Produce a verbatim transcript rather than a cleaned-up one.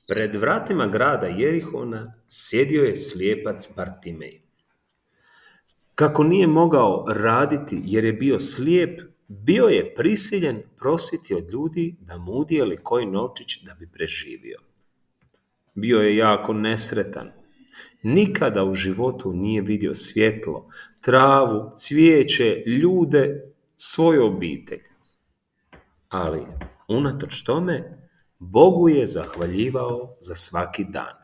Pred vratima grada Jerihona sjedio je slijepac Bartimej. Kako nije mogao raditi jer je bio slijep, bio je prisiljen prositi od ljudi da mu udijeli koji novčić da bi preživio. Bio je jako nesretan. Nikada u životu nije vidio svjetlo, travu, cvijeće, ljude, svoju obitelj. Ali, unatoč tome, Bogu je zahvaljivao za svaki dan.